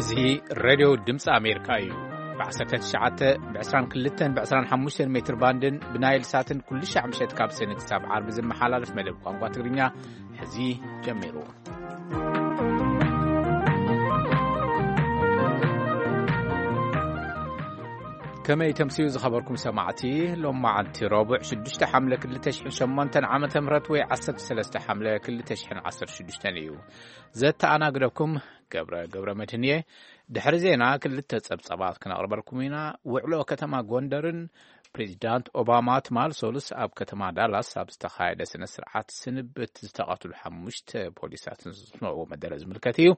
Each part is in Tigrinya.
እዚ ሬድዮ ድምፂ ኣሜሪካ እዩ። ብ19፣ ብ22፣ ብ25 ሜትር ባንድን ብናይል ሳትን ኩሉ ሻዕ ምሸት ካብ ሰኒ ክሳብ ዓርቢ ዝመሓላለፍ መደብ ቋንቋ ትግርኛ ሕዚ ጀሚሩ። ከመይ ተምስዩ ዝኸበርኩም ሰማዕቲ? ሎማዓንቲ ረቡዕ ሽዱሽተ ሓምለ ክልተ ሽሕን ሸሞንተን ዓመተ ምህረት ወይ ዓሰርተ ሰለስተ ሓምለ ክልተ ሽሕን ዓሰርተ ሽዱሽተን እዩ። ዘተኣናግደኩም ገብረ ገብረ መድህን እየ። ድሕሪ ዜና ክልተ ጸብጸባት ክነቕርበልኩም ኢና። ውዕሎ ከተማ ጎንደርን ፕሬዚዳንት ኦባማ ትማል ሶሉስ ኣብ ከተማ ዳላስ ኣብ ዝተኻየደ ስነ ስርዓት ስንብት ዝተቐትሉ ሓሙሽተ ፖሊሳትን ዝስምዕዎ መደረ ዝምልከት እዩ።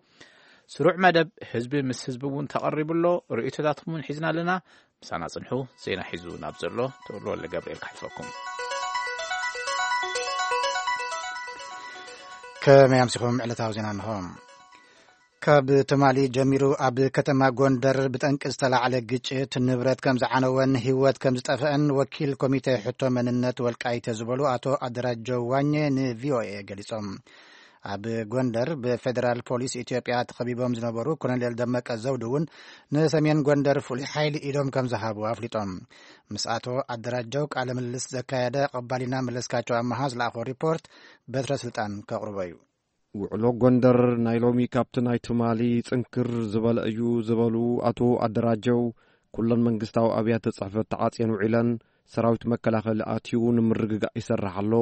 ስሩዕ መደብ ህዝቢ ምስ ህዝቢ እውን ተቐሪቡ ኣሎ። ርእይቶታትኩም እውን ሒዝና ኣለና። ምሳና ጽንሑ። ዜና ሒዙ ናብ ዘሎ ተወልደ ወልደ ገብርኤል ክሓልፈኩም። ከመይ ኣምሲኹም? ዕለታዊ ዜና እንሆ። ካብ ትማሊ ጀሚሩ ኣብ ከተማ ጎንደር ብጠንቂ ዝተላዕለ ግጭት ንብረት ከም ዝዓነወን ህይወት ከም ዝጠፍአን ወኪል ኮሚቴ ሕቶ መንነት ወልቃይተ ዝበሉ ኣቶ ኣደራጀው ዋኘ ንቪኦኤ ገሊጾም። ኣብ ጎንደር ብፌደራል ፖሊስ ኢትዮጵያ ተኸቢቦም ዝነበሩ ኮሎኔል ደመቀ ዘውዱ እውን ንሰሜን ጎንደር ፍሉይ ሓይሊ ኢዶም ከም ዝሃቡ ኣፍሊጦም። ምስ ኣቶ ኣደራጀው ቃለ ምልልስ ዘካየደ ቀባሊና መለስካቸው ኣመሃ ዝለኣኾ ሪፖርት በትረ ስልጣን ከቕርቦ እዩ። ውዕሎ ጎንደር ናይ ሎሚ ካብቲ ናይ ትማሊ ጽንክር ዝበለ እዩ ዝበሉ ኣቶ ኣደራጀው፣ ኩለን መንግስታዊ ኣብያተ ጽሕፈት ተዓጽየን ውዒለን፣ ሰራዊት መከላኸሊ ኣትዩ ንምርግጋእ ይሰርሕ ኣሎ፣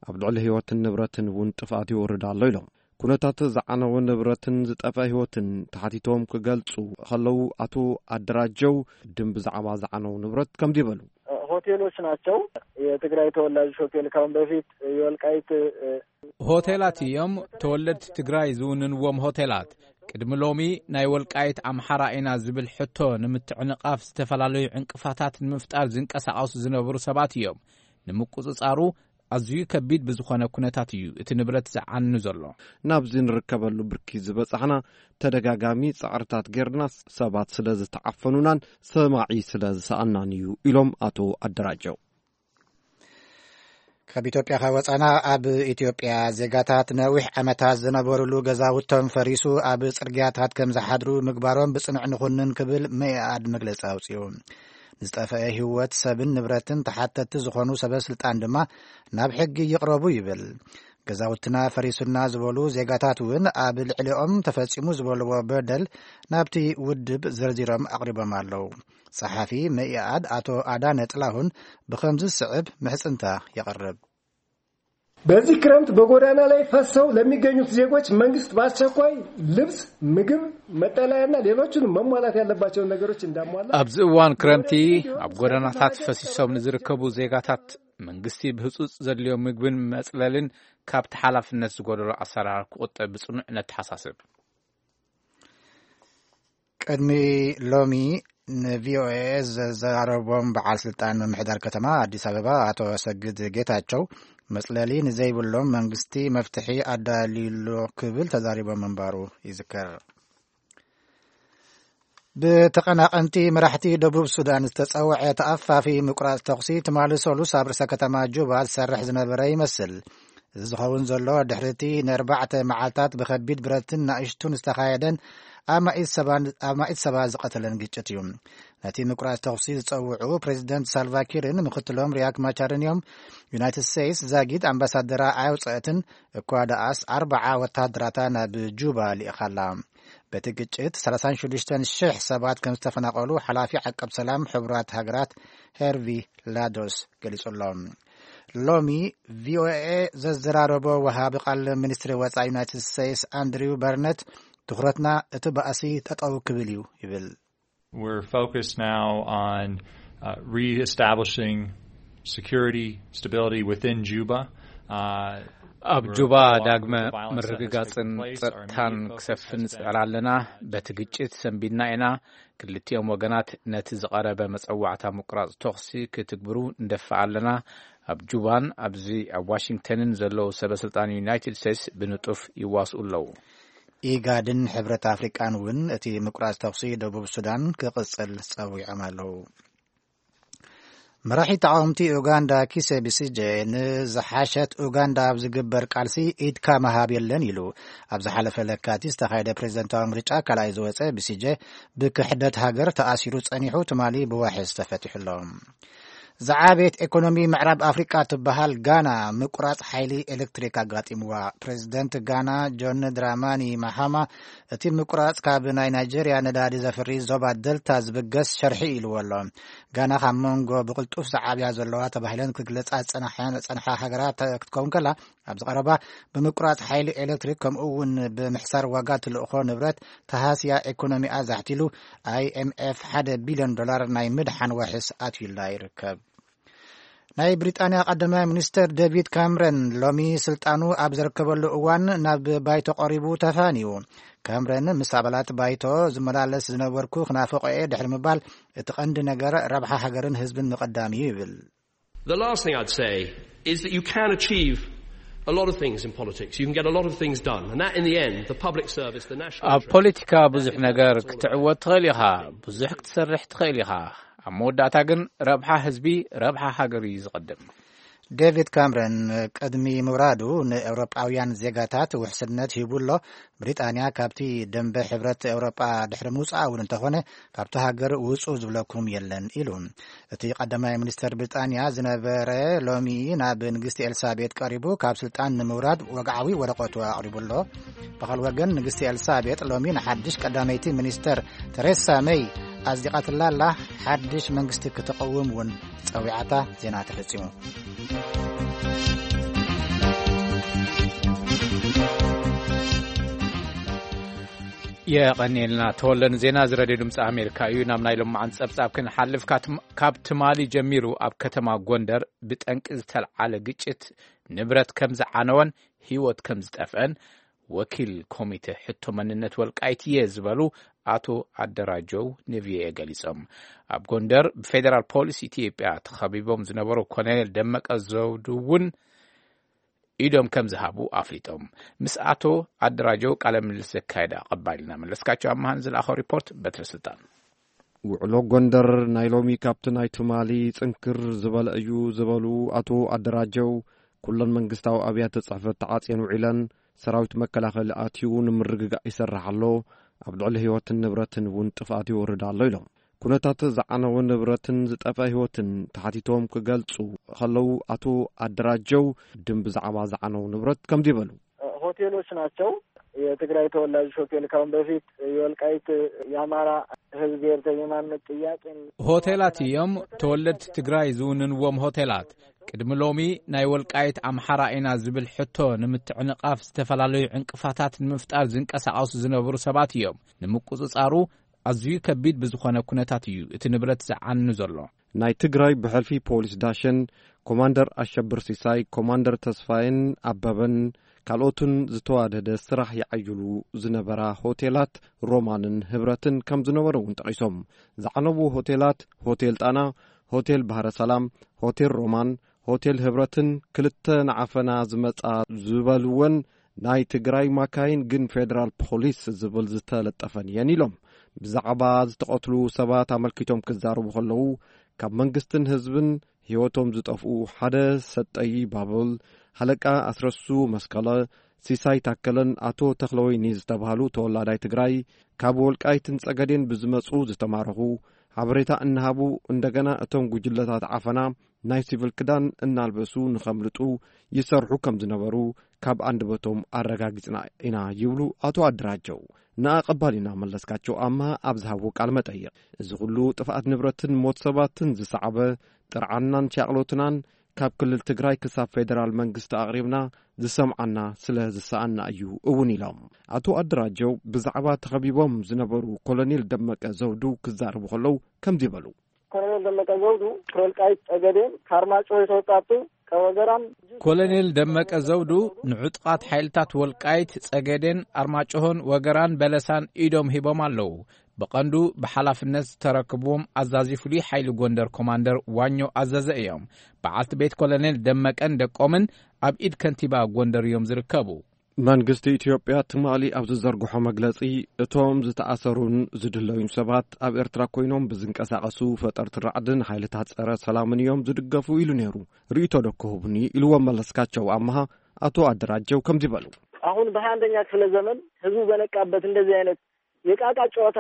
ኣብ ልዕሊ ህይወትን ንብረትን እውን ጥፍኣት ይወርድ ኣሎ ኢሎም። ኩነታት ዝዓነወ ንብረትን ዝጠፍአ ህይወትን ተሓቲቶም ክገልጹ ከለዉ ኣቶ ኣደራጀው ድም ብዛዕባ ዝዓነው ንብረት ከምዚ ይበሉ። ሆቴሎች ናቸው። የትግራይ ተወላጆች ሆቴል ካሁን በፊት የወልቃይት ሆቴላት እዮም። ተወለድቲ ትግራይ ዝውንንዎም ሆቴላት። ቅድሚ ሎሚ ናይ ወልቃይት ኣምሓራ ኢና ዝብል ሕቶ ንምትዕንቓፍ ዝተፈላለዩ ዕንቅፋታት ንምፍጣር ዝንቀሳቐሱ ዝነበሩ ሰባት እዮም። ንምቁጽጻሩ ኣዝዩ ከቢድ ብዝኾነ ኩነታት እዩ እቲ ንብረት ዝዓኑ ዘሎ። ናብዚ ንርከበሉ ብርኪ ዝበጻሕና ተደጋጋሚ ጻዕርታት ጌርና ሰባት ስለ ዝተዓፈኑናን ሰማዒ ስለ ዝሰኣናን እዩ ኢሎም ኣቶ ኣደራጀው። ካብ ኢትዮጵያ ከወጻና፣ ኣብ ኢትዮጵያ ዜጋታት ነዊሕ ዓመታት ዝነበሩሉ ገዛውቶም ፈሪሱ ኣብ ጽርግያታት ከም ዝሓድሩ ምግባሮም ብጽኑዕ ንኹንን ክብል መኢኣድ መግለጺ ኣውጺኡ። ንዝጠፈአ ህይወት ሰብን ንብረትን ተሓተቲ ዝኾኑ ሰበ ስልጣን ድማ ናብ ሕጊ ይቕረቡ ይብል። ገዛውትና ፈሪሱና ዝበሉ ዜጋታት እውን ኣብ ልዕሊኦም ተፈጺሙ ዝበልዎ በደል ናብቲ ውድብ ዘርዚሮም ኣቕሪቦም ኣለዉ። ጸሓፊ መኢኣድ ኣቶ ኣዳነ ጥላሁን ብኸምዚ ዝስዕብ ምሕጽንታ የቕርብ። በዚህ ክረምት በጎዳና ላይ ፈሰው ለሚገኙት ዜጎች መንግስት በአስቸኳይ ልብስ፣ ምግብ፣ መጠለያና ሌሎችንም መሟላት ያለባቸውን ነገሮች እንዳሟላ ኣብዚ እዋን ክረምቲ ኣብ ጎደናታት ፈሲሶም ንዝርከቡ ዜጋታት መንግስቲ ብህጹጽ ዘድልዮ ምግብን መጽለልን ካብቲ ሓላፍነት ዝጎደሎ ኣሰራር ክቑጠብ ብጽኑዕ ነተሓሳስብ። ቅድሚ ሎሚ ንቪኦኤ ዘዘራረቦም በዓል ስልጣን ምምሕዳር ከተማ ኣዲስ ኣበባ ኣቶ ሰግድ ጌታቸው፣ መጽለሊ ንዘይብሎም መንግስቲ መፍትሒ ኣዳልዩሎ ክብል ተዛሪቦም ምንባሩ ይዝከር። ብተቐናቐንቲ መራሕቲ ደቡብ ሱዳን ዝተጸውዐ ተኣፋፊ ምቁራጽ ተኹሲ ትማሊ ሰሉስ ኣብ ርእሰ ከተማ ጁባ ዝሰርሕ ዝነበረ ይመስል። እዚ ዝኸውን ዘሎ ድሕሪ እቲ ንኣርባዕተ መዓልታት ብኸቢድ ብረትን ናእሽቱን ዝተኻየደን ኣማኢት ሰባን-፣ ኣማኢት ሰባት ዝቐተለን ግጭት እዩ። ነቲ ምቁራጽ ተኹሲ ዝጸውዑ ፕሬዚደንት ሳልቫኪርን ምክትሎም ሪያክ ማቻርን እዮም። ዩናይትድ ስቴትስ ዛጊድ ኣምባሳደራ ኣየውጸአትን፣ እኳ ደኣስ ኣርባዓ ወተሃደራታ ናብ ጁባ ልኢኻላ። በቲ ግጭት ሰላሳን ሽዱሽተን ሽሕ ሰባት ከም ዝተፈናቐሉ ሓላፊ ዓቀብ ሰላም ሕቡራት ሃገራት ሄርቪ ላዶስ ገሊጹ ኣሎ። ሎሚ ቪኦኤ ዘዘራረቦ ወሃቢ ቃል ሚኒስትሪ ወጻኢ ዩናይትድ ስቴትስ ኣንድሪው በርነት፣ ትኹረትና እቲ ባእሲ ጠጠው ክብል እዩ ይብል። We're focused now on, uh, reestablishing security, stability within Juba. Uh, ኣብ we're juba following ዳግመ the violence that has ምርግጋጽን taken place. Our ጸጥታን immediate focus ክሰፍን has been ንጽዕር ኣለና። በቲ ግጭት ሰንቢድና ኢና። ክልቲኦም ወገናት ነቲ ዝቐረበ መጸዋዕታ ምቁራጽ ተኹሲ ክትግብሩ ንደፍእ ኣለና። ኣብ ጁባን ኣብዚ ኣብ ዋሽንግተንን ዘለዉ ሰበ ስልጣን ዩናይትድ ስቴትስ ብንጡፍ ይዋስኡ ኣለዉ። ኢጋድን ሕብረት ኣፍሪቃን እውን እቲ ምቁራጽ ተኹሲ ደቡብ ሱዳን ክቕጽል ጸዊዖም ኣለዉ። መራሒ ተቃወምቲ ኡጋንዳ ኪሰ ቢሲጀ፣ ንዝሓሸት ኡጋንዳ ኣብ ዝግበር ቃልሲ ኢድካ ምሃብ የለን ኢሉ። ኣብ ዝሓለፈ ለካቲት ዝተኻየደ ፕሬዝደንታዊ ምርጫ ካልኣይ ዝወፀ ቢሲጀ፣ ብክሕደት ሃገር ተኣሲሩ ጸኒሑ፣ ትማሊ ብዋሕስ ተፈቲሑ ኣሎ። ዝዓበየት ኤኮኖሚ ምዕራብ ኣፍሪቃ ትበሃል ጋና ምቁራጽ ሓይሊ ኤሌክትሪክ ኣጋጢምዋ። ፕሬዝደንት ጋና ጆን ድራማኒ ማሃማ፣ እቲ ምቁራጽ ካብ ናይ ናይጀርያ ነዳዲ ዘፍሪ ዞባ ደልታ ዝብገስ ሸርሒ ኢልዎ ኣሎ። ጋና ካብ መንጎ ብቕልጡፍ ዝዓብያ ዘለዋ ተባሂለን ክግለጻ ዝጸንሓ ሃገራት ክትከውን ከላ፣ ኣብዚ ቀረባ ብምቁራጽ ሓይሊ ኤሌክትሪክ፣ ከምኡ እውን ብምሕሳር ዋጋ ትልእኾ ንብረት ተሃስያ፣ ኤኮኖሚኣ ዛሕቲሉ፣ ኣይኤምኤፍ ሓደ ቢልዮን ዶላር ናይ ምድሓን ዋሕስ ኣትዩላ ይርከብ። ናይ ብሪጣንያ ቀዳማይ ሚኒስተር ዴቪድ ካምረን ሎሚ ስልጣኑ ኣብ ዘርከበሉ እዋን ናብ ባይቶ ቀሪቡ ተፋንዩ። ካምረን ምስ ኣባላት ባይቶ ዝመላለስ ዝነበርኩ ክናፍቆ እየ ድሕሪ ምባል፣ እቲ ቀንዲ ነገር ረብሓ ሃገርን ህዝብን ምቕዳም እዩ ይብል። The last thing I'd say is that you can achieve a lot of things in politics. You can get a lot of things done. And that, in the end, the public service, the national ኣብ interest, ፖለቲካ ብዙሕ ነገር ክትዕወት ትኽእል ኢኻ፣ ብዙሕ ክትሰርሕ ትኽእል ኢኻ። ኣብ መወዳእታ ግን ረብሓ ህዝቢ፣ ረብሓ ሃገር እዩ ዝቐድም። ዴቪድ ካምረን ቅድሚ ምውራዱ ንኤውሮጳውያን ዜጋታት ውሕስነት ሂቡ ኣሎ። ብሪጣንያ ካብቲ ደንበ ሕብረት ኤውሮጳ ድሕሪ ምውጻኣ እውን እንተኾነ፣ ካብቲ ሃገር ውጹ ዝብለኩም የለን ኢሉ። እቲ ቀዳማይ ሚኒስተር ብሪጣንያ ዝነበረ ሎሚ ናብ ንግስቲ ኤልሳቤጥ ቀሪቡ ካብ ስልጣን ንምውራድ ወግዓዊ ወረቐቱ ኣቕሪቡ ኣሎ። ብኻል ወገን ንግስቲ ኤልሳቤጥ ሎሚ ንሓድሽ ቀዳመይቲ ሚኒስተር ተሬሳ መይ ኣጽዲቓትላ ኣላ። ሓድሽ መንግስቲ ክትቐውም እውን ጸዊዓታ። ዜና ተፈጺሙ። የቐንየልና ተወለን ዜና እዚ ረድዮ ድምፂ ኣሜሪካ እዩ። ናብ ናይ ሎማዓን ጸብጻብ ክንሓልፍ፣ ካብ ትም-፣ ካብ ትማሊ ጀሚሩ ኣብ ከተማ ጎንደር ብጠንቂ ዝተልዓለ ግጭት ንብረት ከም ዝዓነወን ህይወት ከም ዝጠፍአን ወኪል ኮሚቴ ሕቶ መንነት ወልቃይት እየ ዝበሉ ኣቶ ኣደራጀው ንቪኦኤ ገሊጾም። ኣብ ጎንደር ብፌዴራል ፖሊስ ኢትዮጵያ ተኸቢቦም ዝነበሩ ኮሎኔል ደመቀ ዘውዱ እውን ኢዶም ከም ዝሃቡ ኣፍሊጦም። ምስ ኣቶ ኣደራጀው ቃለ ምልልስ ዘካየደ ኣቐባሊና መለስካቸው ኣማሃን ዝለኣኸው ሪፖርት በትረ ስልጣን። ውዕሎ ጎንደር ናይ ሎሚ ካብቲ ናይ ትማሊ ጽንክር ዝበለ እዩ ዝበሉ ኣቶ ኣደራጀው፣ ኩለን መንግስታዊ ኣብያተ ጽሕፈት ተዓጽየን ውዒለን፣ ሰራዊት መከላኸሊ ኣትዩ ንምርግጋእ ይሰርሕ ኣሎ፣ ኣብ ልዕሊ ህይወትን ንብረትን እውን ጥፍኣት ይወርድ ኣሎ ኢሎም። ኩነታት ዝዓነወ ንብረትን ዝጠፍአ ህይወትን ተሓቲቶም ክገልጹ ከለዉ፣ ኣቶ ኣደራጀው ድም ብዛዕባ ዝዓነው ንብረት ከምዚ ይበሉ። ሆቴሎች ናቸው። የትግራይ ተወላጆች ሆቴል ካሁን በፊት የወልቃይት የአማራ ህዝብ ብሔርተኝነት ጥያቄን ሆቴላት እዮም። ተወለድቲ ትግራይ ዝውንንዎም ሆቴላት። ቅድሚ ሎሚ ናይ ወልቃይት ኣምሓራ ኢና ዝብል ሕቶ ንምትዕንቓፍ ዝተፈላለዩ ዕንቅፋታት ንምፍጣር ዝንቀሳቐሱ ዝነበሩ ሰባት እዮም። ንምቁጽጻሩ ኣዝዩ ከቢድ ብዝኾነ ኩነታት እዩ እቲ ንብረት ዝዓኑ ዘሎ። ናይ ትግራይ ብሕልፊ ፖሊስ ዳሸን፣ ኮማንደር ኣሸብር ሲሳይ፣ ኮማንደር ተስፋየን ኣበበን ካልኦትን ዝተዋደደ ስራሕ ይዓይሉ ዝነበራ ሆቴላት ሮማንን ህብረትን ከም ዝነበሩ እውን ጠቒሶም። ዝዓነዉ ሆቴላት ሆቴል ጣና፣ ሆቴል ባህረ ሰላም፣ ሆቴል ሮማን፣ ሆቴል ህብረትን ክልተ ንዓፈና ዝመጻ ዝበልወን ናይ ትግራይ ማካይን ግን ፌደራል ፖሊስ ዝብል ዝተለጠፈን እየን ኢሎም። ብዛዕባ ዝተቐትሉ ሰባት ኣመልኪቶም ክዛረቡ ከለዉ፣ ካብ መንግስትን ህዝብን ህይወቶም ዝጠፍኡ ሓደ ሰጠይ ባብል፣ ሃለቃ ኣስረሱ መስቀለ፣ ሲሳይ ታከለን ኣቶ ተኽለወይኒ ዝተባህሉ ተወላዳይ ትግራይ፣ ካብ ወልቃይትን ጸገዴን ብዝመጹ ዝተማረኹ፣ ሓበሬታ እናሃቡ፣ እንደገና እቶም ጉጅለታት ዓፈና ናይ ሲቪል ክዳን እናልበሱ ንኸምልጡ ይሰርሑ ከም ዝነበሩ ካብ ኣንደበቶም ኣረጋጊጽና ኢና ይብሉ ኣቶ ኣደራጀው። ንኣቐባሊና መለስካቸው ኣምሃ ኣብ ዝሃብዎ ቃል መጠይቕ፣ እዚ ኩሉ ጥፍኣት ንብረትን ሞት ሰባትን ዝሰዓበ ጥርዓናን ሻቕሎትናን ካብ ክልል ትግራይ ክሳብ ፌደራል መንግስቲ ኣቕሪብና ዝሰምዓና ስለ ዝሰኣና እዩ እውን ኢሎም። ኣቶ ኣደራጀው ብዛዕባ ተኸቢቦም ዝነበሩ ኮሎኔል ደመቀ ዘውዱ ክዛረቡ ከለዉ ከምዚ በሉ። ኮሎኔል ደመቀ ዘውዱ ከወልቃይት ጸገዴን ካርማጭሆ የተወጣጡ ከወገራም ኮሎኔል ደመቀ ዘውዱ ንዕጡቓት ሓይልታት ወልቃይት ጸገዴን ኣርማጭሆን ወገራን በለሳን ኢዶም ሂቦም ኣለዉ። ብቐንዱ ብሓላፍነት ዝተረክብዎም ኣዛዚ ፍሉይ ሓይሊ ጎንደር ኮማንደር ዋኞ ኣዘዘ እዮም። በዓልቲ ቤት ኮሎኔል ደመቀን ደቆምን ኣብ ኢድ ከንቲባ ጎንደር እዮም ዝርከቡ። መንግስቲ ኢትዮጵያ ትማሊ ኣብ ዝዘርግሖ መግለጺ፣ እቶም ዝተኣሰሩን ዝድለዩን ሰባት ኣብ ኤርትራ ኮይኖም ብዝንቀሳቐሱ ፈጠርቲ ራዕድን ሓይልታት ጸረ ሰላምን እዮም ዝድገፉ ኢሉ ነይሩ። ርእይቶ ዶ ክህቡኒ ኢልዎም መለስካቸው ኣምሃ ኣቶ ኣደራጀው ከምዚ በሉ። አሁን በሃያ አንደኛ ክፍለ ዘመን ህዝቡ በነቃበት እንደዚህ አይነት የቃቃ ጨዋታ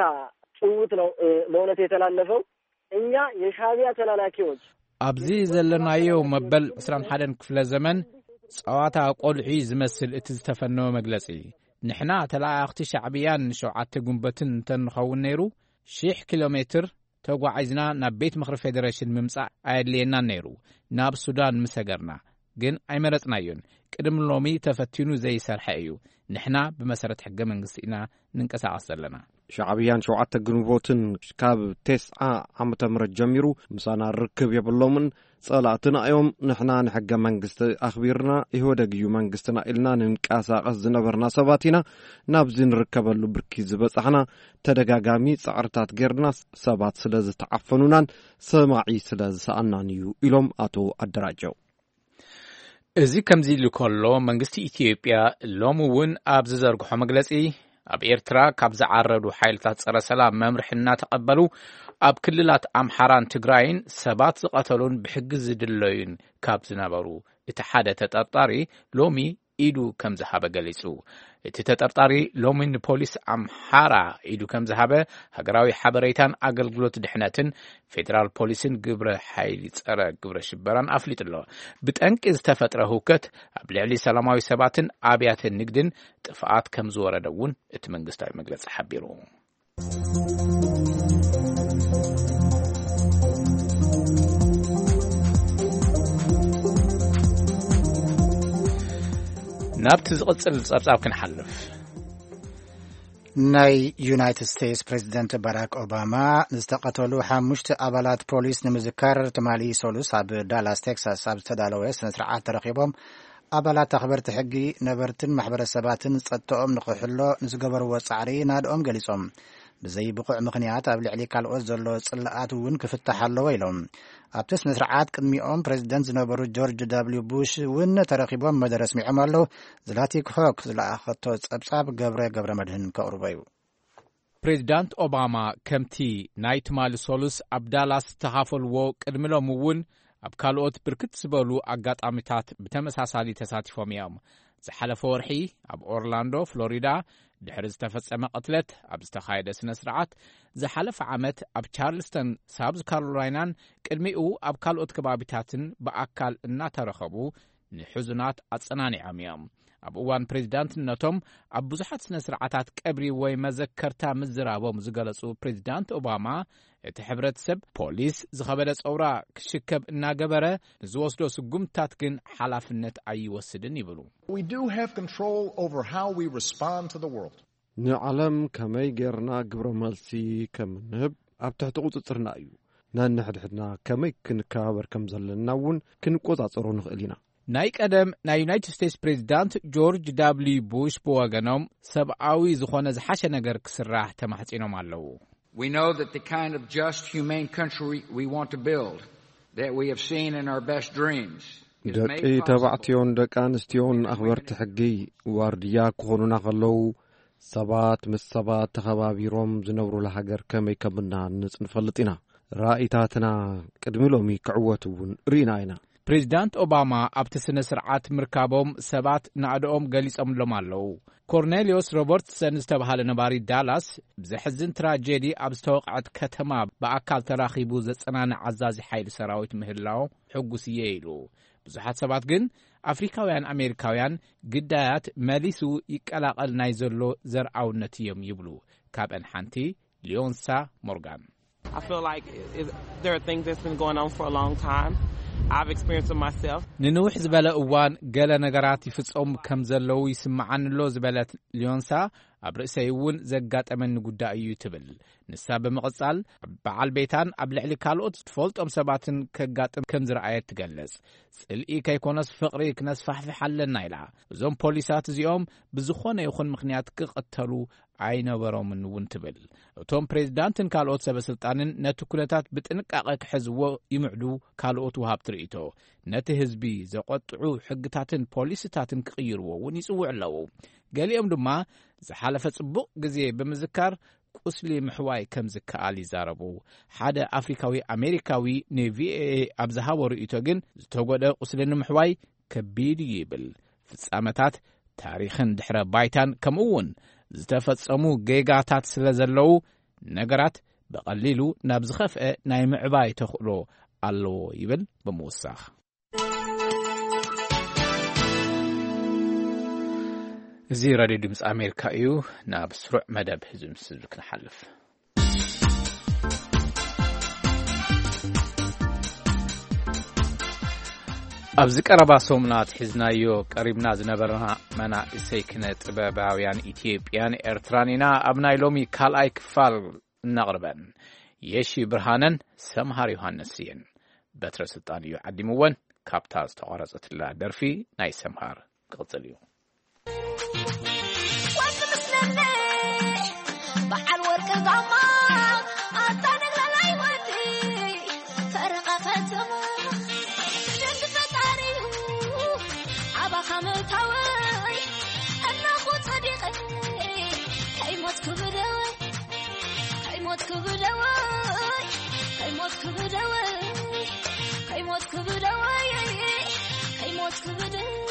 ጭውውት ነው በእውነት የተላለፈው። እኛ የሻቢያ ተላላኪዎች ኣብዚ ዘለናዮ መበል ዕስራን ሓደን ክፍለ ዘመን ጸዋታ ቆልዑ ዝመስል እቲ ዝተፈነወ መግለጺ። ንሕና ተለኣኣኽቲ ሻዕብያን ሸውዓተ ጉንበትን እንተንኸውን ነይሩ፣ ሽሕ ኪሎ ሜትር ተጓዒዝና ናብ ቤት ምኽሪ ፌደሬሽን ምምጻእ ኣየድልየናን ነይሩ። ናብ ሱዳን ምሰገርና። ግን ኣይመረጽናዮን። ቅድሚ ሎሚ ተፈቲኑ ዘይሰርሐ እዩ። ንሕና ብመሰረት ሕገ መንግስቲ ኢና ንንቀሳቐስ ዘለና። ሻዕብያን ሸውዓተ ግንቦትን ካብ ተስዓ ዓመተ ምህረት ጀሚሩ ምሳና ርክብ የብሎምን፣ ጸላእትና እዮም። ንሕና ንሕገ መንግስቲ ኣኽቢርና፣ ኢህወደግ እዩ መንግስትና ኢልና ንንቀሳቐስ ዝነበርና ሰባት ኢና። ናብዚ ንርከበሉ ብርኪ ዝበጻሕና፣ ተደጋጋሚ ጻዕርታት ጌርና፣ ሰባት ስለ ዝተዓፈኑናን ሰማዒ ስለ ዝሰኣናን እዩ ኢሎም ኣቶ ኣደራጀው። እዚ ከምዚ ኢሉ ከሎ፣ መንግስቲ ኢትዮጵያ ሎሚ እውን ኣብ ዝዘርግሖ መግለጺ፣ ኣብ ኤርትራ ካብ ዝዓረዱ ሓይልታት ጸረ ሰላም መምርሒ እናተቐበሉ፣ ኣብ ክልላት ኣምሓራን ትግራይን ሰባት ዝቐተሉን ብሕጊ ዝድለዩን ካብ ዝነበሩ እቲ ሓደ ተጠርጣሪ ሎሚ ኢዱ ከም ዝሃበ ገሊጹ። እቲ ተጠርጣሪ ሎሚ ንፖሊስ ኣምሓራ ኢዱ ከም ዝሃበ ሃገራዊ ሓበሬታን ኣገልግሎት ድሕነትን ፌደራል ፖሊስን ግብረ ሓይሊ ጸረ ግብረ ሽበራን ኣፍሊጡ ኣሎ። ብጠንቂ ዝተፈጥረ ህውከት ኣብ ልዕሊ ሰላማዊ ሰባትን ኣብያተ ንግድን ጥፍኣት ከም ዝወረደ እውን እቲ መንግስታዊ መግለጺ ሓቢሩ። ናብቲ ዝቕጽል ጸብጻብ ክንሓልፍ። ናይ ዩናይትድ ስቴትስ ፕሬዚደንት ባራክ ኦባማ ዝተቐተሉ ሓሙሽተ ኣባላት ፖሊስ ንምዝካር ትማሊ ሰሉስ ኣብ ዳላስ ቴክሳስ ኣብ ዝተዳለወ ስነ ስርዓት ተረኺቦም ኣባላት ኣኽበርቲ ሕጊ፣ ነበርትን ማሕበረሰባትን ጸጥታኦም ንኽሕሎ ንዝገበርዎ ጻዕሪ ናድኦም ገሊጾም። ብዘይ ብቑዕ ምኽንያት ኣብ ልዕሊ ካልኦት ዘሎ ጽልኣት እውን ክፍታሕ ኣለዎ ኢሎም። ኣብቲ ስነ ስርዓት ቅድሚኦም ፕሬዚደንት ዝነበሩ ጆርጅ ደብልዩ ቡሽ እውን ተረኺቦም መደረ ኣስሚዖም ኣለዉ። ዝላቲክ ሆክ ዝለኣኸቶ ጸብጻብ ገብረ ገብረ መድህን ከቕርቦ እዩ። ፕሬዚዳንት ኦባማ ከምቲ ናይ ትማሊ ሶሉስ ኣብ ዳላስ ዝተኻፈልዎ ቅድሚ ሎም እውን ኣብ ካልኦት ብርክት ዝበሉ ኣጋጣሚታት ብተመሳሳሊ ተሳቲፎም እዮም። ዝሓለፈ ወርሒ ኣብ ኦርላንዶ ፍሎሪዳ ድሕሪ ዝተፈጸመ ቅትለት ኣብ ዝተኻየደ ስነ ስርዓት፣ ዝሓለፈ ዓመት ኣብ ቻርልስተን ሳውዝ ካሮላይናን ቅድሚኡ ኣብ ካልኦት ከባቢታትን ብኣካል እናተረኸቡ ንሕዙናት ኣጸናኒዖም እዮም። ኣብ እዋን ፕሬዚዳንትነቶም ኣብ ብዙሓት ስነ ስርዓታት ቀብሪ ወይ መዘከርታ ምዝራቦም ዝገለጹ ፕሬዚዳንት ኦባማ፣ እቲ ሕብረተሰብ ፖሊስ ዝኸበደ ጸውራ ክሽከብ እናገበረ ንዝወስዶ ስጉምትታት ግን ሓላፍነት ኣይወስድን ይብሉ። We do have control over how we respond to the world. ንዓለም ከመይ ጌርና ግብረ መልሲ ከም ንህብ ኣብ ትሕቲ ቁጽጽርና እዩ። ነንሕድሕድና ከመይ ክንከባበር ከም ዘለና እውን ክንቆጻጸሮ ንኽእል ኢና። ናይ ቀደም ናይ ዩናይትድ ስቴትስ ፕሬዚዳንት ጆርጅ ዳብልዩ ቡሽ ብወገኖም ሰብኣዊ ዝኾነ ዝሓሸ ነገር ክስራሕ ተማሕጺኖም ኣለዉ። We know that the kind of just, humane country we want to build, that we have seen in our best dreams, is ደቂ made possible. ተባዕትዮን ደቂ ኣንስትዮን ኣኽበርቲ ሕጊ ዋርድያ ክኾኑና ከለዉ፣ ሰባት ምስ ሰባት ተኸባቢሮም ዝነብሩላ ሃገር ከመይ ከም እናሃንጽ ንፈልጥ ኢና። ራኢታትና ቅድሚ ሎሚ ክዕወት እውን ርኢና ኢና። ፕሬዚዳንት ኦባማ ኣብቲ ስነ ስርዓት ምርካቦም ሰባት ናእድኦም ገሊጾምሎም ኣለዉ። ኮርኔሊዮስ ሮበርትሰን ዝተባህለ ነባሪ ዳላስ፣ ብዘሕዝን ትራጀዲ ኣብ ዝተወቕዐት ከተማ ብኣካል ተራኺቡ ዘጸናንዕ ኣዛዚ ሓይሊ ሰራዊት ምህላው ሕጉስ እየ ኢሉ። ብዙሓት ሰባት ግን ኣፍሪካውያን ኣሜሪካውያን ግዳያት መሊሱ ይቀላቐል ናይ ዘሎ ዘርኣውነት እዮም ይብሉ። ካብአን ሓንቲ ሊዮንሳ ሞርጋን። I feel like it, there are things that's been going on for a long time. I've experienced it myself. ንንውሕ ዝበለ እዋን ገለ ነገራት ይፍጸሙ ከም ዘለዉ ይስምዓኒ ኣሎ ዝበለት ሊዮንሳ፣ ኣብ ርእሰይ እውን ዘጋጠመኒ ጉዳይ እዩ ትብል። ንሳ ብምቕጻል፣ በዓል ቤታን ኣብ ልዕሊ ካልኦት ዝትፈልጦም ሰባትን ከጋጥም ከም ዝረኣየት ትገልጽ። ጽልኢ ከይኮነስ ፍቕሪ ክነስፋሕፍሕ ኣለና ኢላ። እዞም ፖሊሳት እዚኦም ብዝኾነ ይኹን ምኽንያት ክቕተሉ ኣይነበሮምን እውን ትብል። እቶም ፕሬዝዳንትን ካልኦት ሰበ ስልጣንን ነቲ ኩነታት ብጥንቃቐ ክሕዝዎ ይምዕዱ። ካልኦት ወሃብቲ ርእይቶ፣ ነቲ ህዝቢ ዘቖጥዑ ሕግታትን ፖሊሲታትን ክቕይርዎ እውን ይጽውዑ ኣለዉ። ገሊኦም ድማ ዝሓለፈ ጽቡቕ ግዜ ብምዝካር ቁስሊ ምሕዋይ ከም ዝከኣል ይዛረቡ። ሓደ ኣፍሪካዊ ኣሜሪካዊ ንቪኦኤ ኣብ ዝሃቦ ርእይቶ ግን፣ ዝተጎድአ ቁስሊ ንምሕዋይ ከቢድ እዩ ይብል። ፍጻመታት፣ ታሪኽን ድሕረ ባይታን፣ ከምኡ እውን ዝተፈጸሙ ጌጋታት ስለ ዘለዉ፣ ነገራት ብቐሊሉ ናብ ዝኸፍአ ናይ ምዕባይ ተኽእሎ ኣለዎ ይብል ብምውሳኽ። እዚ ራድዮ ድምፂ ኣሜሪካ እዩ። ናብ ስሩዕ መደብ ህዝቢ ምስ ህዝቢ ክንሓልፍ። ኣብዚ ቀረባ ሰሙናት ሒዝናዮ ቀሪብና ዝነበርና መናእሰይ ክነ ጥበባውያን ኢትዮጵያን ኤርትራን ኢና ኣብ ናይ ሎሚ ካልኣይ ክፋል እናቕርበን። የሺ ብርሃነን ሰምሃር ዮሃንስ እየን። በትረ ስልጣን እዩ ዓዲምወን። ካብታ ዝተቋረጸትላ ደርፊ ናይ ሰምሃር ክቕጽል እዩ። ወዲ ምስለለ በዓል ወርቂ ዛማ ኣታ ነግላላይ ወዲ ፈረቓ ከተማ ደንግ ፈጣሪዩ ኣባኻ ምእታወይ እናኹ ጸዲቐ ከይሞትኩ ብደወይ ከይሞትኩ ብደወይ ከይሞትኩ ብደወይ ከይሞትኩ ብደወይ ከይሞትኩ ብደወይ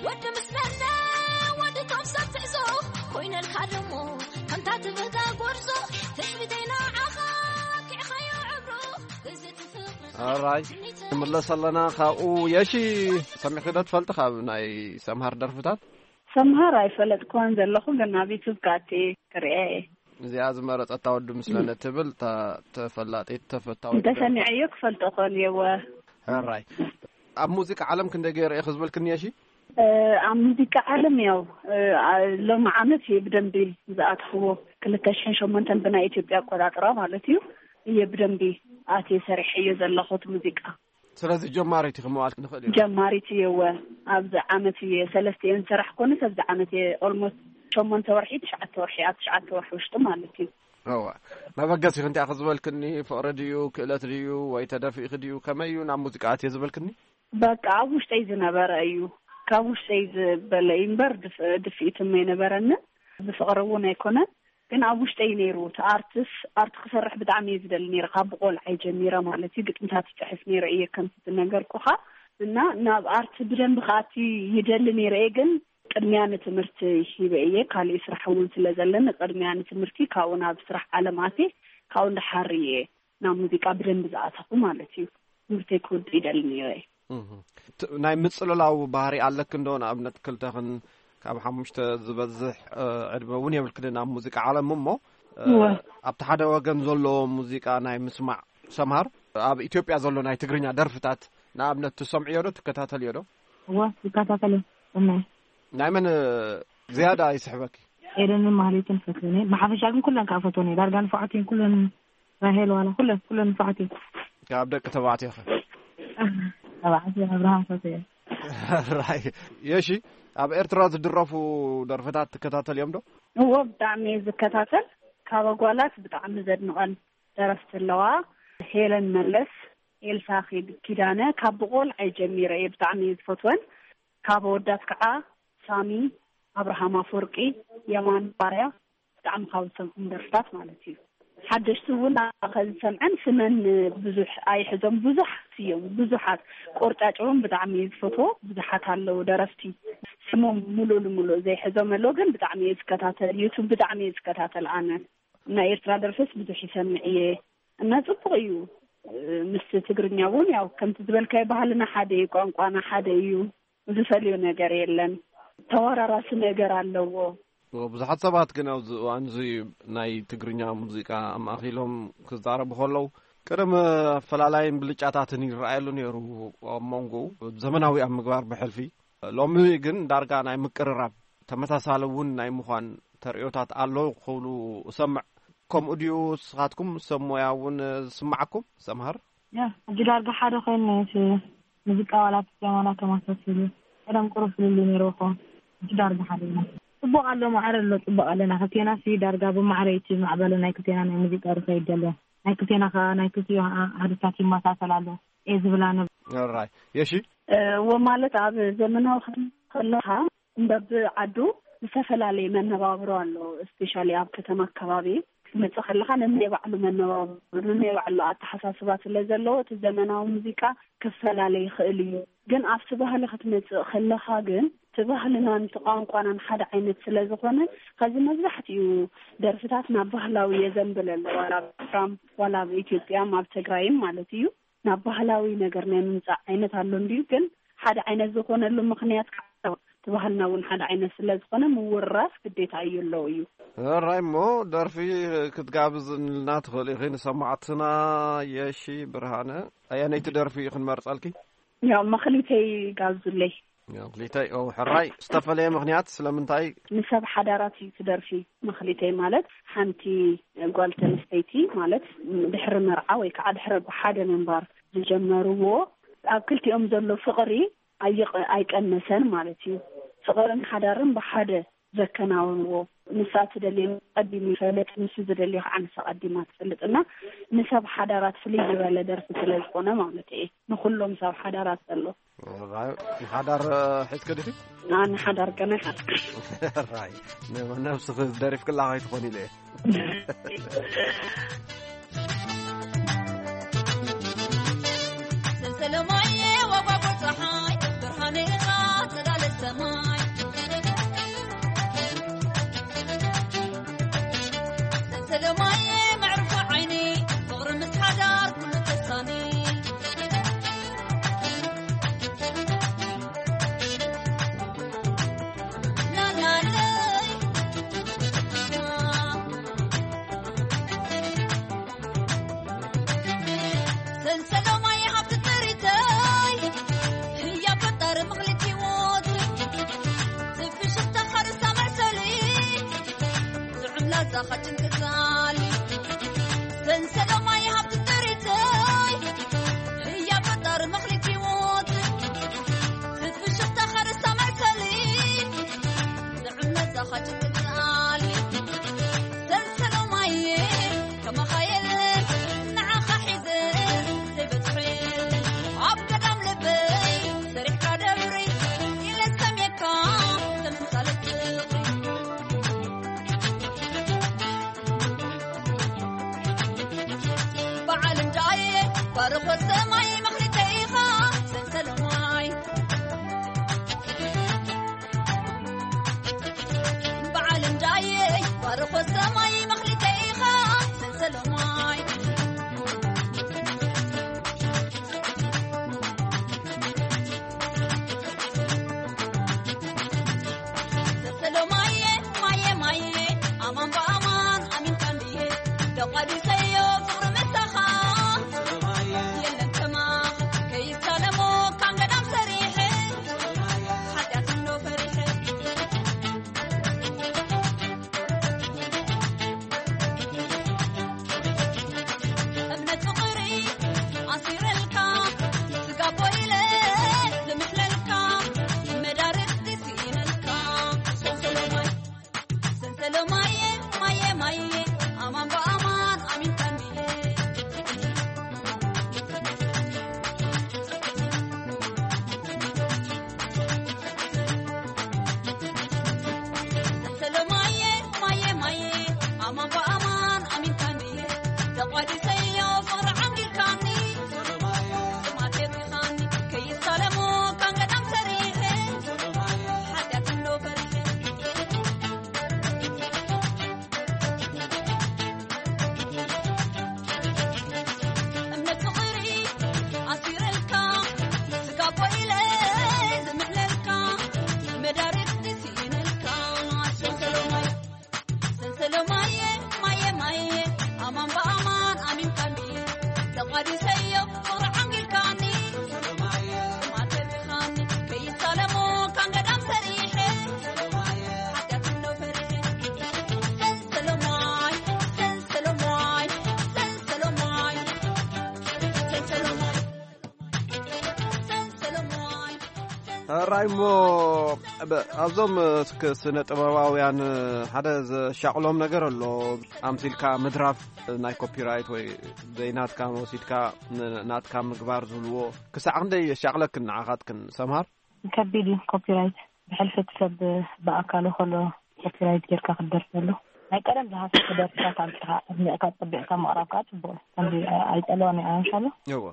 ወዲ ምስ በርደ ወዲ ቶም ሰብ ትዕዞ ኮይነልካ ደሞ ከምታ ትብህጋ ጎርዞ ትጽቢተይ ንዓኻ ኪዕኻዮ ዕብሮ እዚ ትፍቕሪ ኣራይ፣ ክንምለስ ኣለና። ካብኡ የሺ ሰሚዕኺ ዶ ትፈልጢ? ካብ ናይ ሰምሃር ደርፍታት? ሰምሃር ኣይፈለጥክዋን ዘለኹ፣ ግን ኣብ ዩቱብ ከኣቲ ክርእያ እየ። እዚኣ ዝመረጸታ ወዲ ምስለነ ትብል እታ ተፈላጢት ተፈታዊት ደርፊ። እንተሰሚዐዮ ክፈልጦ እኽእል እየ። እወ። ሕራይ። ኣብ ሙዚቃ ዓለም ክንደይ ገይረ እየ ክዝበልክኒ የሺ? እ፣ ኣብ ሙዚቃ ዓለም ያው፣ እ፣ አ-፣ ሎሚ ዓመት እየ ብደንቢ ዝኣትኽዎ። ክልተ ሽሕን ሸሞንተን ብናይ ኢትዮጵያ ኣቆጻጽራ ማለት እዩ። እየ ብደንቢ ኣትየ ሰሪሐዮ ዘለኹ እቲ ሙዚቃ። ስለዚ ጀማሪት ኢኺ ምባል ንኽእል ኢና። ጀማሪት እየ፣ እወ። ኣብዚ ዓመት እየ ሰለስተ እየ ዝሰራሕ ኮነ፣ ኣብዚ ዓመት እየ ኦልሞስት ሸሞንተ ወርሒ፣ ትሽዓተ ወርሒ፣ ኣብ ትሽዓተ ወርሒ ውሽጢ ማለት እዩ። እወ። መበገሲኺ እንታይ ክዝበልክኒ፣ ፍቕሪ ድዩ፣ ክእለት ድዩ፣ ወይ ተደፊእኺ ድዩ፣ ከመይ እዩ ናብ ሙዚቃ ኣትየ ዝበልክኒ? በቃ ኣብ ውሽጠይ ዝነበረ እዩ። ካብ ውሽጠይ ዝበለ እዩ እምበር ድፍ-፣ ድፍኢትም ኣይነበረንን። ብፍቕሪ እውን ኣይኮነን። ግን ኣብ ውሽጠይ ነይሩ። እቲ ኣርትስ፣ ኣርት ክሰርሕ ብጣዕሚ እየ ዝደሊ ነይረ። ካብ ቆልዓይ ጀሚረ ማለት እዩ። ግጥምታት ይጽሕፍ ነይረ እየ ከምቲ ዝነገርኩኻ። እና ናብ ኣርት ብደንቢ ክኣቲ ይደሊ ነይረ እየ። ግን ቅድሚያ ንትምህርቲ ሂበ እየ። ካሊእ ስራሕ እውን ስለ ዘለኒ ቅድሚያ ንትምህርቲ፣ ካብኡ ናብ ስራሕ ዓለም ኣትየ፣ ካብኡ እንዳሓር እየ ናብ ሙዚቃ ብደንቢ ዝኣተኹ ማለት እዩ። ትምህርተይ ክውድእ ይደሊ ነይረ እየ። እህ። ት-፣ ናይ ምጽልላው ባህሪ ኣለኪ እንዶ? ንኣብነት ክልተኽን ካብ ሓሙሽተ ዝበዝሕ፣ እ፣ ዕድመ እውን የብልክንን ኣብ ሙዚቃ ዓለም እሞ፣ እ፣ እወ። ኣብቲ ሓደ ወገን ዘሎ ሙዚቃ ናይ ምስማዕ ሰምሃር፣ ኣብ ኢትዮጵያ ዘሎ ናይ ትግርኛ ደርፍታት ንኣብነት ትሰምዕዮ ዶ ትከታተልዮ ዶ? እወ፣ ይከታተል እየ። እመ። ናይ መን፣ እ፣ ዝያዳ ይስሕበኪ? ኤደንን ማህሌትን ፈትወን እየ። ብሓፈሻ ግን ኩለን ከዓ ፈትወን እየ። ዳርጋ ንፉዓት እየን ኩለን። ራሄል ዋላ ኩለን፣ ኩለን ንፉዓት እየን። ካብ ደቂ ተባዕትዮ ኸ? ተባዕትዮ ኣብርሃም ፈትወ እየ። ራይ። የሺ፣ ኣብ ኤርትራ ዝድረፉ ደርፍታት ትከታተልዮም ዶ? እዎ፣ ብጣዕሚ እየ ዝከታተል። ካብ ኣጓላት ብጣዕሚ ዘድንቐን ደረፍቲ ኣለዋ። ሄለን መለስ፣ ኤልሳ ኪድ-፣ ኪዳነ፣ ካብ ብቆልዓይ ጀሚረ እየ ብጣዕሚ እየ ዝፈትወን። ካብ ኣወዳት ከዓ ሳሚ፣ ኣብርሃም ኣፈወርቂ፣ የማን ባርያ፣ ብጣዕሚ ካብ ዝሰምዖም ደርፍታት ማለት እዩ። ሓደሽቲ እውን ከዝሰምዐን ስመን ብዙሕ ኣይሕዞም፣ ብዙሓት እዮም፣ ብዙሓት። ቆርጫጭ እውን ብጣዕሚ እየ ዝፈትዎ፣ ብዙሓት ኣለዉ ደረፍቲ። ስሞም ሙሉእ ልሙሉእ ዘይሕዞም ኣለዉ፣ ግን ብጣዕሚ እየ ዝከታተል፣ ዩቱብ ብጣዕሚ እየ ዝከታተል ኣነ። ናይ ኤርትራ ደርፍስ ብዙሕ ይሰምዕ እየ እና ጽቡቕ እዩ። ምስ ትግርኛ እውን ያው ከምቲ ዝበልካዮ ባህልና ሓደ እዩ፣ ቋንቋና ሓደ እዩ። ዝፈልዮ ነገር የለን። ተወራራሲ ነገር ኣለዎ። ብዙሓት ሰባት ግን ኣብዚ እዋን እዚ ናይ ትግርኛ ሙዚቃ ኣማእኪሎም ክዛረቡ ከለዉ፣ ቅድም ኣፈላላይን ብልጫታትን ይረኣየሉ ነይሩ ኣብ መንጎኡ፣ ዘመናዊ ኣብ ምግባር ብሕልፊ። ሎሚ ግን ዳርጋ ናይ ምቅርራብ፣ ተመሳሳሊ እውን ናይ ምዃን ተርእዮታት ኣሎ ክብሉ እሰምዕ። ከምኡ ድዩ? ንስኻትኩም ሰብ ሞያ እውን ዝስምዓኩም? ሰምሃር? ያ፣ ሕጂ ዳርጋ ሓደ ኮይኑ እቲ ሙዚቃ ዋላ ፒያኖ ተመሳሲሉ። ቀደም ቁሩብ ፍልልይ ነይርዎ ኸውን። ሕጂ ዳርጋ ሓደ እዩ። ጽቡቕ ኣሎ፣ ማዕረ ኣሎ፣ ጽቡቕ ኣለና። ክልቴና ሲ ዳርጋ ብማዕረ እዩ እቲ ማዕበል ናይ ክልቴና ናይ ሙዚቃ ዝኸይድ ዘሎ። ናይ ክልቴና ከኣ ናይ ክልቲኡ ኣሃዱታት ይመሳሰል ኣሎ። እየ ዝብላ ነብ- ኦራይ። የሺ? እ፣ ወ ማለት ኣብ ዘመናዊ ከለኻ እንበብ ዓዱ ዝተፈላለየ መነባብሮ ኣሎ። ስፔሻሊ ኣብ ከተማ ኣከባቢ ክትመጽእ ከለኻ ነናይ ባዕሉ መነባብሮ፣ ነናይ ባዕሉ ኣተሓሳስባ ስለ ዘለዎ እቲ ዘመናዊ ሙዚቃ ክፈላለ ይኽእል እዩ። ግን ኣብቲ ባህሊ ክትመጽእ ከለኻ ግን እቲ ባህልናን እቲ ቋንቋናን ሓደ ዓይነት ስለ ዝኾነ፣ ከዚ መብዛሕትኡ ደርፍታት ናብ ባህላዊ የዘንብል ኣሎ። ዋላ ኣብ ኤርትራም፣ ዋላ ኣብ ኢትዮጵያም፣ ኣብ ትግራይም ማለት እዩ። ናብ ባህላዊ ነገር ናይ ምምጻእ ዓይነት ኣሎ እንድዩ፣ ግን ሓደ ዓይነት ዝኾነሉ ምኽንያት ከዓ እቲ ባህልና እውን ሓደ ዓይነት ስለ ዝኾነ ምውርራስ ግዴታ እዩ ኣለዎ እዩ። ራይ እሞ ደርፊ ክትጋብዝልና ትኽእል ኢኺ ንሰማዕትና። የሺ ብርሃነ፣ ኣየነይቲ ደርፊ እዩ ክንመርጸልኪ? ያው መኽሊተይ ጋብዙለይ። መኽሊተይ፣ ኦ፣ ሕራይ። ዝተፈለየ ምኽንያት ስለምንታይ? ንሰብ ሓዳራት እዩ ትደርፊ። መኽሊተይ ማለት ሓንቲ ጓል ተንስተይቲ ማለት ድሕሪ መርዓ ወይ ከዓ ድሕሪ ብሓደ ምንባር ዝጀመርዎ ኣብ ክልቲኦም ዘሎ ፍቕሪ ኣይቕ-፣ ኣይቀነሰን ማለት እዩ። ፍቕርን ሓዳርን ብሓደ ዘከናውንዎ። ንሳ ትደልዮ ቀዲሙ ይፈልጥ፣ ንሱ ዝደልዮ ከዓ ንሳ ቀዲማ ትፈልጥ እና ንሰብ ሓዳራት ፍልይ ዝበለ ደርፊ ስለ ዝኾነ ማለት እየ። ንኹሎም ሰብ ሓዳራት ዘሎ። ራይ፣ ንሓዳር ሒዝኪ ዲኺ? ኣነ ሓዳር ገና ይሓስብ። ራይ፣ ነ-፣ ነብስኺ ደሪፍክላ ከይትኾኒ ኢለ እየ። ሰንሰለማየ ወጓጎ ፀሓይ፣ ብርሃነ ኢኻ ጸዳለ ሰማይ። ሰንሰለማየ መዕርፎ ዓይኒ፣ ፍቕሪ ምስ ሓዳር ኩሉ ተሳኒ። ላላለይ። ሰንሰለማይ ሃብቲ ጥሪተይ፣ ህያ ፈጣሪ ምኽሊት ህይወት። ትፍሽኽታ ሓርሳ መሰሊ፣ ዝዕም ላዛኻ ጭንቂ ቃሊ። ሰንሰለማይ ሃብቲ ጥሪተይ፣ ህያ ፈጣሪ ምኽሊት ህይወት። ትፍሽኽታ ሓርሳ መሰሊ፣ ዝዕም ላዛኻ ጭንቂ ቃሊ። ሰንሰለማየ ከማኻ የለን ንዓኻ ሒዘ ዘይበጽሐ። ኣብ ገዳም ልበይ ሰሪሕካ ደብሪ ኢለ ሰምየካ ተመሳለ ፍቕሪ። በዓል እንዳየ ባርኾ ሰማይ መኽሊተይ ኢኻ ሰንሰለማይ። በዓል እንዳየ ባርኾ ሰማይ መኽሊተይ ኢኻ ሰንሰለማይ። ሰንሰለማየ ማየ ማየ ኣማን ብኣማን ኣሚንካ እንድየ ተቋዲሰዮ ፍቕሪ ምሳኻ የለን ከማኻ ከይሳለሞ ካን ገዳም ሰሪሐ ሓጢኣት እንዶ ፈሪሐ። እምነት ፍቕሪ ኣሲረልካ፣ ስጋ ኮይለ ዝምሕለልካ፣ መዳርግቲ ስኢነልካ። ሰንሰለማይ፣ ሰንሰለማየ፣ ማየ፣ ማየ፣ ኣማን ብኣማን ኣሚንካኒ። ሰንሰለማየ፣ ማየ፣ ማየ፣ ኣማን ብኣማን ኣሚንካኒ። ተቋዲሰዮ ፍቕሪ ዓንጊልካኒ። ጥማት የብሪኻኒ፣ ከይሳለሞ ካን ገዳም ሰሪሐ። ሓጢኣት እንዶ ፈሪሐ። እምነት ፍቕሪ ኣሲረልካ፣ ስጋ ኮይለ ዝምሕለልካ፣ መዳርግቲ ስኢነልካ። ሰንሰለማይ፣ ሰንሰለማየ፣ ማየ፣ ማየ፣ ኣማን ብኣማን ኣሚንካኒ። ተቋዲሰዮ ፍቕሪ ዓንጊልካኒ። ጥማት የብሪኻኒ፣ ከይሳለሞ ካን ገዳም ሰሪሐ። ሓጢኣት እንዶ ፈሪሐ። ራይሞ፣ ብ- ኣብዞም እስክ- ስነ ጥበባውያን ሓደ ዘሻቕሎም ነገር ኣሎ። ኣምሲልካ ምድራፍ ናይ ኮፒራይት ወይ ዘይናትካ ወሲድካ ን- ናትካ ምግባር ዝብልዎ ክሳዕ ክንደይ የሻቕለክን ንዓኻትክን ሰምሃር? ከቢድ እዩ ኮፒራይት። ብሕልፊ እቲ ሰብ ብኣካሉ ከሎ ኮፒራይት ጌርካ ክትደርሰሉ፣ ናይ ቀደም ዝሃሰሰ ደርፍታት ኣምፂኻ ኣድሚቕካ ፀቢቕካ ምቕራብ ከዓ ፅቡቅ እዩ። ከምዚ ኣይፀልዋን እየ ኣንሻሎ። እዎ።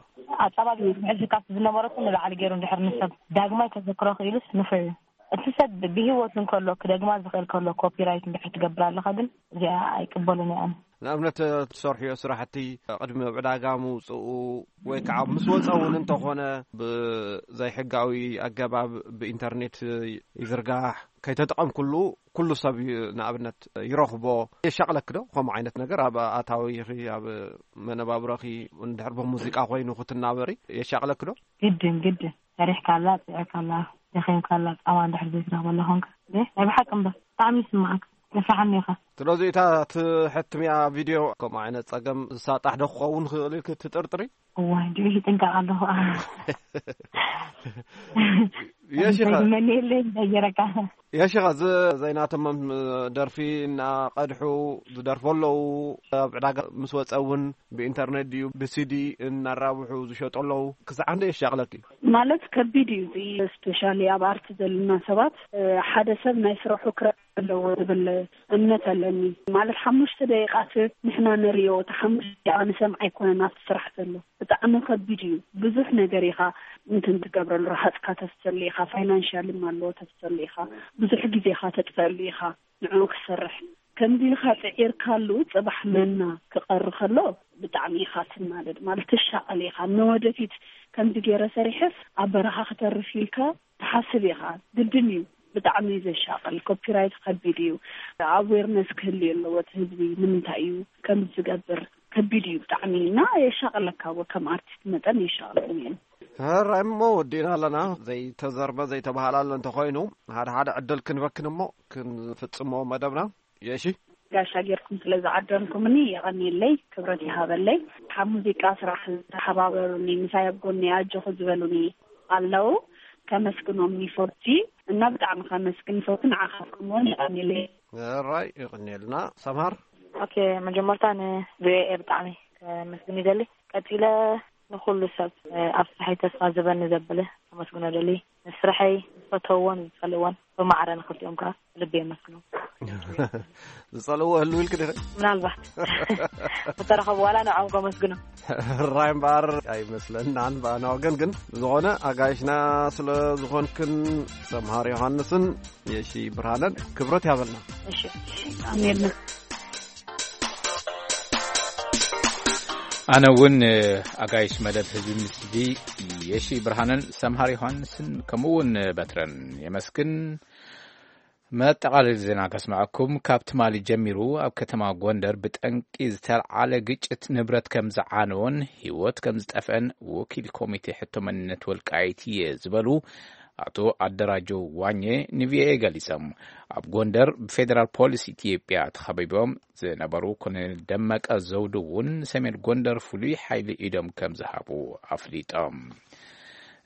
ኣፃባቢ ብሕልፊ ካብቲ ዝነበረኩም ንላዕሊ ገይሩ እንድሕር ንሰብ ዳግማይ ከዘክሮ ክኢሉስ ንፉዕ እዩ። እቲ ሰብ ብህይወት እንከሎ ክደግማ ዝኽእል ከሎ ኮፒራይት እንድሕር ትገብር ኣለኻ ግን እዚኣ ኣይቅበሉን እየ ኣነ። ንኣብነት እትሰርሕዮ ስራሕቲ ቅድሚ ኣብ ዕዳጋ ምውፅኡ ወይ ከዓ ምስ ወፀ እውን እንተኾነ ብዘይሕጋዊ ኣገባብ ብኢንተርኔት ይዝርጋሕ፣ ከይተጠቐምኩሉ ኩሉ ሰብ ዩ- ንኣብነት ይረኽቦ። የሻቕለክ ዶ ከምኡ ዓይነት ነገር ኣብ ኣታዊኺ ኣብ መነባብሮኺ? እንድሕር ብሙዚቃ ኮይኑ ክትናበሪ የሻቕለክ ዶ? ግድን ግድን ሰሪሕካላ ፅዕካላ ደኺምካላ ፃማ እንድሕር ዘይትረኽበላ ኮንካ ናይ ብሓቂ እምበር ብጣዕሚ ይስማዓካ። ነፋሓኒ ኢኻ። ስለዚ እታ ትሕትምያ ቪድዮ ከምኡ ዓይነት ጸገም ዝሳጣሕ ዶ ክኸውን ክእል ኢልክ ትጥርጥሪ? እዋይ ድኡ ይጥንቀቕ ኣለኹ። የሺኻ። መን የለ እንዳየረካ። የሺኻ፣ እዚ ዘይናቶም ደርፊ እናቐድሑ ዝደርፉ ኣለዉ። ኣብ ዕዳጋ ምስ ወጸ እውን ብኢንተርኔት ድዩ ብሲዲ እናራብሑ ዝሸጡ ኣለዉ። ክሳዕ እንደ የሻቕለኪ? ማለት ከቢድ እዩ እዚ። ስፔሻሊ ኣብ ኣርቲ ዘለና ሰባት ሓደ ሰብ ናይ ስራሑ ክረአ ኣለዎ ዝብል እምነት ኣለኒ። ማለት ሓሙሽተ ደቂቓት ንሕና ንሪኦ፣ እቲ ሓሙሽተ ደቂቓ ንሰምዓ ኣይኮነን ኣብቲ ስራሕ ዘሎ። ብጣዕሚ ከቢድ እዩ። ብዙሕ ነገር ኢኻ እንትን ትገብረሉ፣ ረሃፅካ ተፍሰሉ ኢኻ፣ ፋይናንሻል ኣለዎ ተፍሰሉ ኢኻ፣ ብዙሕ ግዜኻ ተጥፈሉ ኢኻ ንዕኡ ክሰርሕ። ከምዚ ኢልካ ፅዒርካሉ ፅባሕ መና ክቐሪ ከሎ ብጣዕሚ ኢኻ ትናደድ። ማለት ትሻቐል ኢኻ፣ ንወደፊት ከምዚ ገይረ ሰሪሐስ ኣብ በረኻ ክተርፍ ኢልካ ትሓስብ ኢኻ። ግድን እዩ። ብጣዕሚ እዩ ዘሻቕል። ኮፒራይት ከቢድ እዩ። ኣዌርነስ ክህልዩ ኣለዎ እቲ ህዝቢ። ንምንታይ እዩ ከምዚ ዝገብር? ከቢድ እዩ ብጣዕሚ እና የሻቕለካ። ወ ከም ኣርቲስት መጠን የሻቕለኒ እዩ። ሕራይ እሞ ወዲእና ኣለና። ዘይተዘርበ ዘይተባህላለ እንተኾይኑ ሓደ ሓደ ዕድል ክንበክን እሞ ክንፍጽሞ መደብና። የሺ። ጋሻ ጌርኩም ስለ ዝዓደምኩምኒ የቐንየለይ፣ ክብረት ይሃበለይ። ካብ ሙዚቃ ስራሕ ዝተሓባበሩኒ፣ ምሳይ ኣብ ጎኒ ኣጆኹ ዝበሉኒ ኣለዉ። ከመስግኖም ይፈቲ እና ብጣዕሚ ከመስግን ይፈቱ። ንዓኻትኩም እውን የቐንየለይ። ሕራይ ይቕንየልና። ሰምሃር። ኦኬ፣ መጀመርታ ን ቪኦኤ ብጣዕሚ ከመስግን ይደሊ። ቀጺለ ንኹሉ ሰብ፣ እ፣ ኣብ ስራሐይ ተስፋ ዝበኒ ዘብለ ከመስግኖ ደሊ። ንስራሐይ ዝፈተውዎን ዝጸልእዎን ብማዕረ ንኽልቲኦም ከኣ ብልቢ የመስግኖም። ዝጸልእዎ ህልው ኢልክ ዲኺ? ምናልባት። ምተረኸቡ ዋላ ንዕኦም ከመስግኖም። ሕራይ እምበኣር ኣይመስለናን ብኣና ወገን፣ ግን ብዝኾነ ኣጋይሽና ስለ ዝኾንክን ሰምሃር ዮሃንስን የሺ ብርሃነን ክብረት ያበልና። እሺ፣ ኣሜን። ኣነ እውን ኣጋይሽ መደብ ህዝቢ ምስዲ የሺ ብርሃነን ሰምሃር ዮሃንስን ከምኡ እውን በትረን የመስግን። መጠቓለሊ ዜና ከስምዐኩም። ካብ ትማሊ ጀሚሩ ኣብ ከተማ ጎንደር ብጠንቂ ዝተልዓለ ግጭት ንብረት ከም ዝዓነወን ህይወት ከም ዝጠፍአን ወኪል ኮሚቴ ሕቶ መንነት ወልቃይት እየ ዝበሉ ኣቶ ኣደራጀው ዋኘ ንቪኦኤ ገሊጾም። ኣብ ጎንደር ብፌዴራል ፖሊስ ኢትዮጵያ ተኸቢቦም ዝነበሩ ኮሎኔል ደመቀ ዘውዱ እውን ሰሜን ጎንደር ፍሉይ ሓይሊ ኢዶም ከም ዝሃቡ ኣፍሊጦም።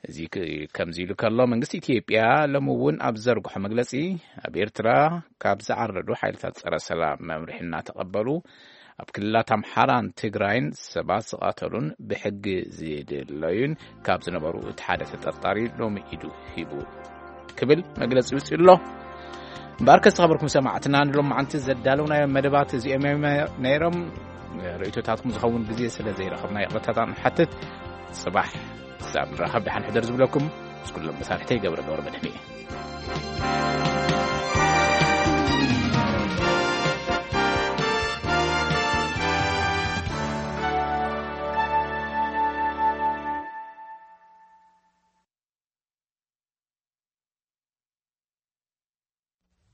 እዚ ክ- ከምዚ ኢሉ ከሎ መንግስቲ ኢትዮጵያ ሎሚ እውን ኣብ ዘርግሖ መግለጺ ኣብ ኤርትራ ካብ ዝዓረዱ ሓይልታት ጸረ ሰላም መምርሒ እናተቐበሉ ኣብ ክልላት ኣምሓራን ትግራይን ሰባት ዝቐተሉን ብሕጊ ዝድለዩን ካብ ዝነበሩ እቲ ሓደ ተጠርጣሪ ሎሚ ኢዱ ሂቡ ክብል መግለጺ ይውፅእ ኣሎ። እምበኣር ከዝተኸበርኩም ሰማዕትና ንሎም መዓንቲ ዘዳለውናዮ መደባት እዚኦም እዮም ነይሮም። ርእይቶታትኩም ዝኸውን ግዜ ስለ ዘይረኸብና ይቕረታታ ንሓትት። ጽባሕ ክሳብ ንራኸብ ደሓን ሕደር ዝብለኩም ምስ ኩሎም መሳርሕተይ ገብረ ገብረ መድህን እየ።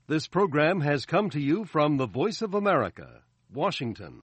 This program has come to you from the Voice of America, Washington.